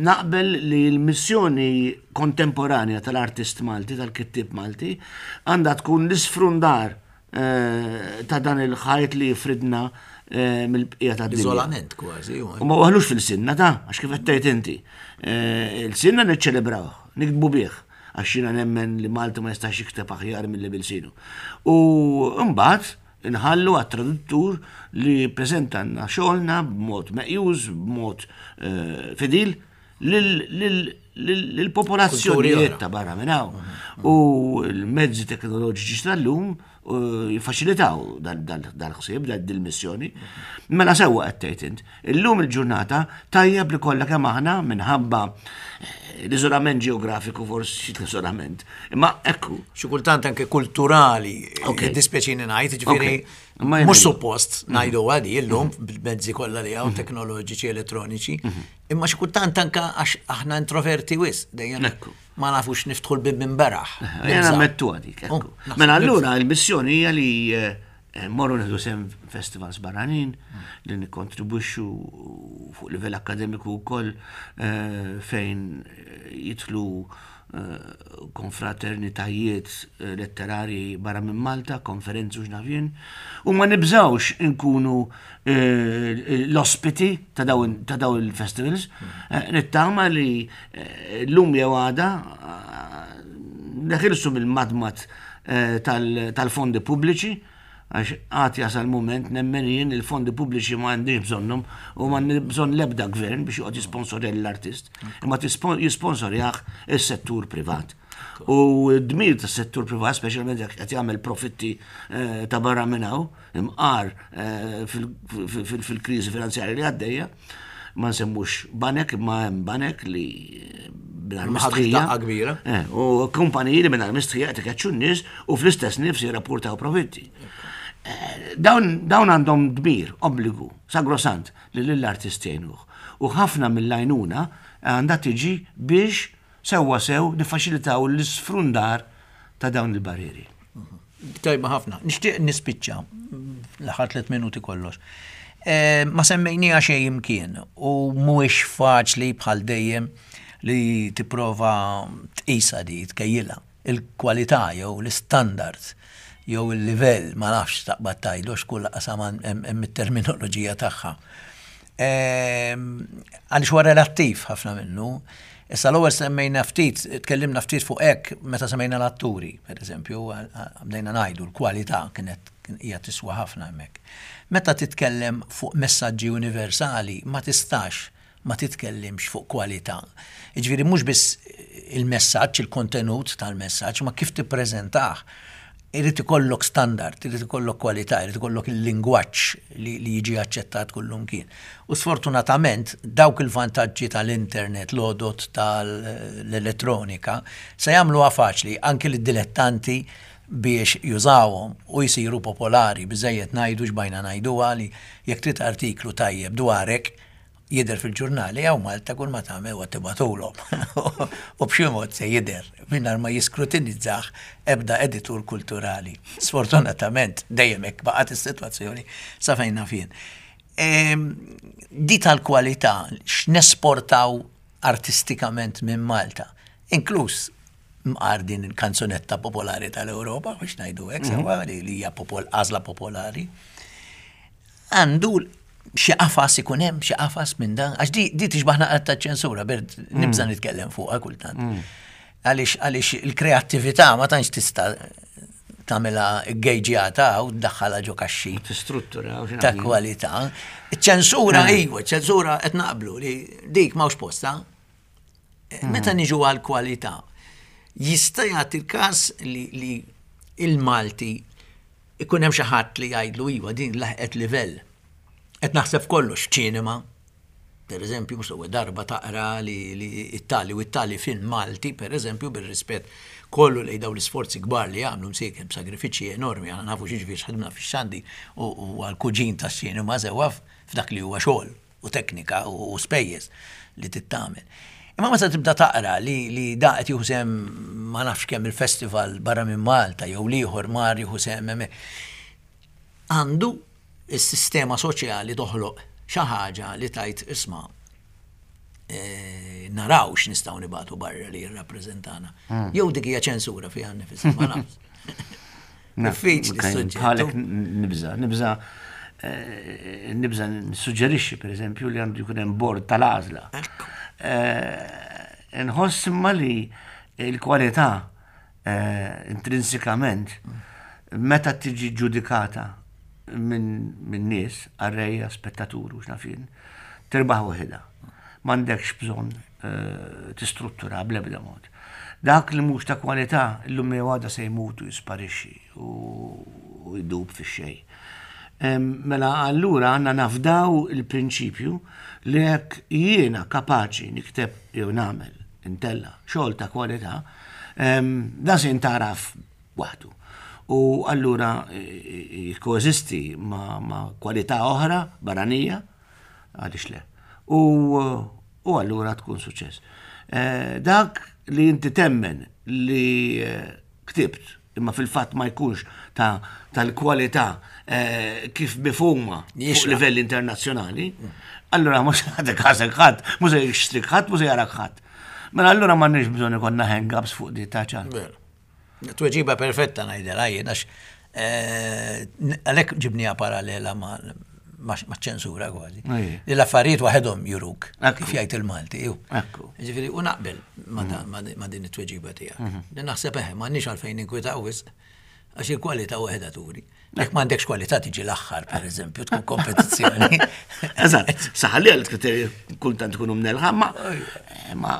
naqbel li l-missjoni kontemporanja tal-artist Malti, tal-kittib Malti, għandha tkun l-isfrundar eh, ta' dan il-ħajt li jifridna eh, mill-bqija ta' dinja. Iżolament kważi. U ma waħlux fil-sinna ta' għax kif qed tgħid inti. Eh, il-sinna niċċelebrawh, nikdbu bih, għax jiena nemmen li Malti ma jistax jikteb aħjar milli bil-sinu. U mbagħad inħallu għat-traduttur li jippreżentanna xogħolna b'mod meqjuż, b'mod fidil, lill-popolazzjonijiet ta' barra minn hawn. U l-mezzi teknoloġiċi tal-lum jiffaċilitaw dal-ħsieb, dal-missjoni. Mela sewwa qed tgħid int. Illum il-ġurnata tajjeb li kollha kemm aħna minħabba eh, l-iżolament ġeografiku forsi l-iżolament. Imma ekku. Xi kultant anke kulturali, dispjaċini ngħid, ġifieri mhux suppost ngħidu għadi illum bil-mezzi kollha li hawn teknoloġiċi elettroniċi, Imma xi kultant anka għax aħna introverti wis, dejjem ma nafux niftħu l-bib minn beraħ. Jena mettu għadik. Oh, mela allura il-missjoni hija li eh, morru nieħdu sem festivals barranin li nikkontribwixxu fuq livell akademiku wkoll eh, fejn jidħlu eh, konfraternitajiet letterarji barra minn Malta, konferenzi u x'naf jien, u ma nibżawx inkunu eh, l-ospiti ta' dawn il-festivals. Eh, nittama li eh, l-lum jew għada neħilsu mill-madmat tal-fondi pubbliċi, għax għad jasal moment nemmen jien il-fondi pubbliċi ma għandix bżonnhom u ma bżonn l-ebda gvern biex joqgħod jisponsorja l-artist, imma jisponsorjah is-settur privat. U d-dmir tas-settur privat, speċjalment jekk qed jagħmel profitti ta' barra minn hawn, imqar eh, fil-kriżi finanzjarja li għaddejja, ma nsemmux banek, imma hemm banek li eh, mingħajr mistħija. kbira. Eh, u kumpaniji li mingħajr mistħija qed ikeċċu n-nies u fl-istess nifs jirrapportaw profitti. Dawn għandhom dmir, obbligu, sagrosant li lill-artist jgħinuh. U ħafna mill-għajnuna għandha tiġi biex Sewwa sew niffaċilitaw l-isfrundar ta' dawn il-barrieri. Tajba ħafna. Nixtieq nispiċċa l-aħħar tliet minuti kollox. Eh, ma semmejnija xejn imkien u mhuwiex faċli bħal dejjem li tipprova tqisha di tkejjilha il-kwalità jew l-istandards jew il-livell ma nafx taqbad tgħidu għax kull qasam hemm it-terminoloġija tagħha. Ehm, għaliex huwa relattiv ħafna minnu. Issa l-ewwel semmejna ftit, tkellimna ftit fuq hekk meta semmejna l-atturi, per eżempju, bdejna ngħidu l-kwalità kienet hija tiswa ħafna hemmhekk. Meta titkellem fuq messaġġi universali ma tistax ma titkellimx fuq kwalità. Jiġifieri mhux biss il-messaġġ, il-kontenut tal-messaġġ, ma kif tippreżentah. Irid ikollok standard, irid ikollok kwalità, irid ikollok il-lingwaġġ li, li jiġi aċċettat kullumkien. U sfortunatament dawk il-vantaġġi tal-internet, l-għodod tal-elettronika, se jagħmluha faċli anki lid-dilettanti biex jużawhom u jsiru popolari. Biżżejjed ngħidu x'bajna ngħiduha li jekk trid artiklu tajjeb dwarek, jidher fil-ġurnali hawn Malta kull ma tagħmel huwa tibgħatulhom. U b'xi mod se jidher mingħajr ma jiskrutinizzah ebda editur kulturali. Sfortunatament dejjem hekk baqgħet is-sitwazzjoni sa fejn naf jien. Ehm, di tal-kwalità x'nesportaw artistikament minn Malta, inkluż mqar din il-kanzunetta popolari tal-Ewropa, biex ngħidu hekk sewwa li hija għażla popolari. Għandu xi qafas ikun hemm xi qafas minn dan, għax di, di tixbaħ naqra ta' ċensura, bert mm. nibża nitkellem fuqha kultant. Mm. Għaliex għaliex il-kreattività ma tantx tista' tagħmilha gejġjata u tdaħħalha ġo kaxxi. Tistruttura ta' kwalità. Iċ-ċensura mm. iva, ċensura qed naqblu li dik m'hawnx posta. Meta niġu għal kwalità. Jista' jagħti l-każ li il-Malti ikun hemm xi ħadd li jgħidlu iva din laħqet livell. Qed naħseb f'kollox, f'ċinema, per eżempju, mhux l-ewwel darba taqra li it-tali u it-tali film Malti, per eżempju, bir-rispett kollu lejn dawn l-isforzi kbar li jagħmlu msieken b'sagrifiċċji enormi, aħna nafu x'jiġifieri x'ħadimna fix-xandi u għall-kuġin tax-ċinema sewwa f'dak li huwa xogħol u teknika u spejjeż li trid tagħmel. Imma meta tibda taqra li li da qed jieħu sehem ma nafx kemm il-festival barra minn Malta jew l-ieħor mar jieħu sehem hemmhekk. Għandu s-sistema soċjali toħloq xi ħaġa li tgħid isma' eh, naraw x'nistgħu nibagħtu barra li jirrappreżentana. Hmm. Jew dik hija ċensura fiha nnifisha, ma nafx. Diffiċli suġġett. Bħalek nibża, nibża eh, nibża nissuġġerixxi pereżempju li għandu jkun hemm bord tal-għażla. Eh, nħoss imma li l-kwalità eh, intrinsikament meta tiġi ġudikata minn nies, qarrejja, spettatur u x'naf jien, tirbaħ waħedha. M'għandekx bżonn eh, tistruttura bl-ebda mod. Dak li mhux ta' kwalità llum jew għada se jmut u jisparixxi u jdub fix-xejn. Mela allura għandna nafdaw il-prinċipju li jekk jiena kapaċi nikteb jew nagħmel intella xogħol ta' kwalità, dan se jintgħaraf waħdu. U allura jikkoeżisti ma' kwalità oħra barranija, għaliex le. U, u allura tkun suċċess. Eh, dak li inti temmen li eh, ktibt imma fil-fatt ma jkunx ta' tal-kwalità eh, kif mifhuma fuq livell internazzjonali, allura mhux għadek ħasek ħadd, mhux se jixtrik ħadd, mhux se jarak ħadd. Mela allura m'għandniex bżonn ikollna hang-ups fuq di ta' ċan. Tweġiba perfetta ngħidilha jien għax eh, għalhekk ġibniha parallela ma' ċensura kważi. Li l-affarijiet waħedhom juruk kif jgħid il-Malti. Ġifieri u naqbel ma mm. din it-tweġiba tiegħek. Mhm. Li naħseb eħe m'għandniex għalfejn ninkwitaw wisq għax il-kwalità waħedha turi. Jekk m'għandekx kwalità tiġi l-aħħar, per eżempju, tkun kompetizzjoni. Eżatt, saħalli għal kriterji kultant tkunu mnelħa, ma ma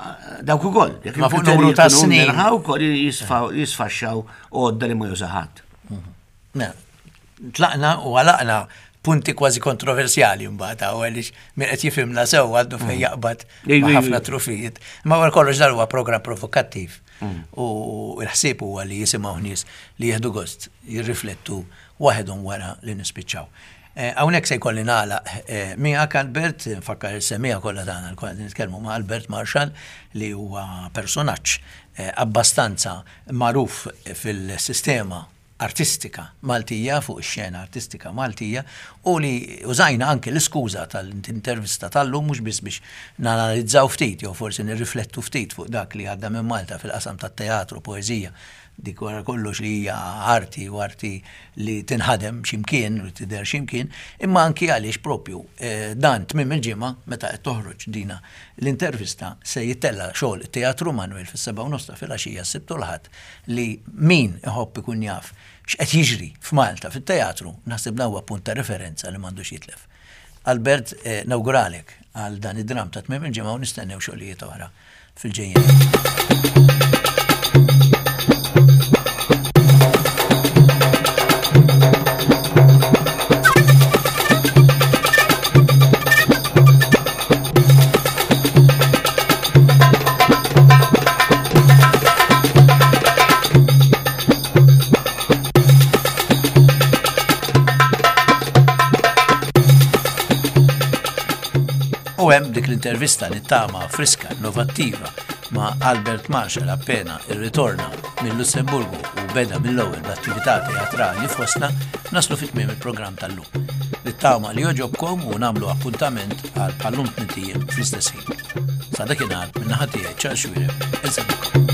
dawk ukoll. Jekk ma fuq numru ta' snin. Mnelħa wkoll jisfaxxaw għodda li ma jużaħat. Mhm. Mela, tlaqna u għalaqna punti kważi kontroversjali mbagħad hawn għaliex min qed jifhimna sew għandu fejn mm. jaqbad ħafna trufijiet. Ma wara kollox dan huwa programm provokattiv. Mm. U l-ħsieb huwa li jisimgħu nies li jieħdu gost jirriflettu waħedhom wara li nispiċċaw. Eh, hawnhekk se jkolli nagħlaq eh, miegħek Albert, nfakkar is-semija kollha tagħna l qed nitkellmu ma' Albert Marshall li huwa personaġġ eh, abbastanza magħruf fil-sistema artistika Maltija, fuq ix-xena artistika Maltija, u li użajna anke l-iskuża tal-intervista tal-lum mhux biss biex nanalizzaw ftit jew forsi nirriflettu ftit fuq dak li għadda minn Malta fil-qasam tat-teatru, poeżija, dik wara kollox li hija arti u arti li tinħadem xi mkien u tidher xi mkien, imma anki għaliex propju eh, dan tmiem il-ġimgħa meta qed toħroġ dina l-intervista se jittella' xogħol it-Teatru Manuel fis-sebgħa u nofs ta' filgħaxija s-Sibt u l-Ħadd li min iħobb ikun jaf x'qed jiġri f'Malta fit-teatru, naħseb dan huwa punt ta' referenza li m'għandux jitlef. Albert, eh, nawguralek għal dan id-dram ta' tmiem il-ġimgħa u nistennew xogħlijiet oħra fil-ġejjien. U hemm dik l-intervista li tama friska, innovattiva ma' Albert Marshall appena irritorna mill-Lussemburgu u beda mill-ewwel bl-attività teatrali fostna naslu fit tmiem il-programm tal-lum. Nittama li joġobkom u nagħmlu appuntament għal bħallum tmintijiem fl-istess ħin. Sa dakinhar min-naħa tiegħi Charles Xuereb, insellmilkom.